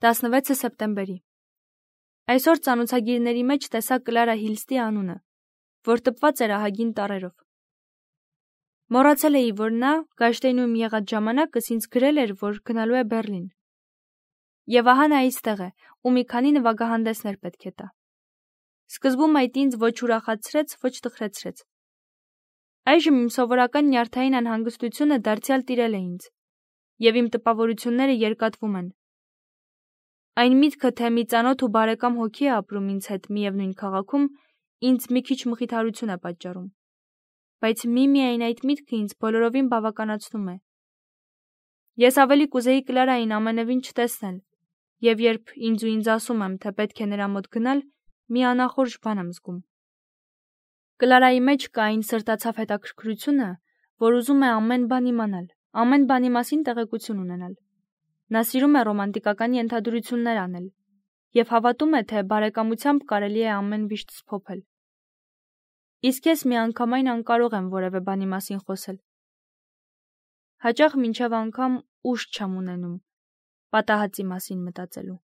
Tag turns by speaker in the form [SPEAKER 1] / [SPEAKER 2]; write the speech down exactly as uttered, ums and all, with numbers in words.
[SPEAKER 1] տասնվեցը սեպտեմբերի։ Այսօր ծանոթագիրների մեջ տեսա Կլարա Հիլստի անունը, որ տպված էր ահագին տառերով։ Մոռացել էի, որ նա Գայշտեյնում եղած ժամանակս ինձ գրել էր, որ գնալու է Բեռլին։ Եվ ահա նա այստեղ է, ու մի քանի նվագահանդեսներ պետք է տա։ Սկզբում այդ ինձ ոչ ուրախացրեց, ոչ տխրեցրեց։ Այժմ իմ սովորական նյարդային անհանգստությունը դարձյալ տիրել է ինձ, եւ իմ տպավորությունները երկատվում են։ Այն միտքը, թե մի ծանոթ ու բարեկամ հոգի է ապրում ինձ հետ միևնույն քաղաքում, ինձ մի քիչ մխիթարություն է պատճառում։ Բայց միմիայն այդ միտքը ինձ բոլորովին բավականացնում է։ Ես ավելի կուզեի Կլարային ամենևին չտեսնել, եւ երբ ինձ ու ինձ ասում եմ, թե պետք է նրա մոտ գնալ, մի անախորժ բան եմ զգում։ Կլարայի մեջ կա այն սրտացավ հետաքրքրությունը, որ ուզում է ամեն բան իմանալ, ամեն բանի մասին տեղեկություն ունենալ։ Նա սիրում է ռոմանտիկական ենթադրություններ անել եւ հավատում է, թե բարեկամությամբ կարելի է ամեն վիշտ սփոփել։ Իսկ ես միանգամայն անկարող եմ որևէ բանի մասին խոսել։ Հաճախ մինչև անգամ ուժ չեմ ունենում պատահածի մասին մտածելու։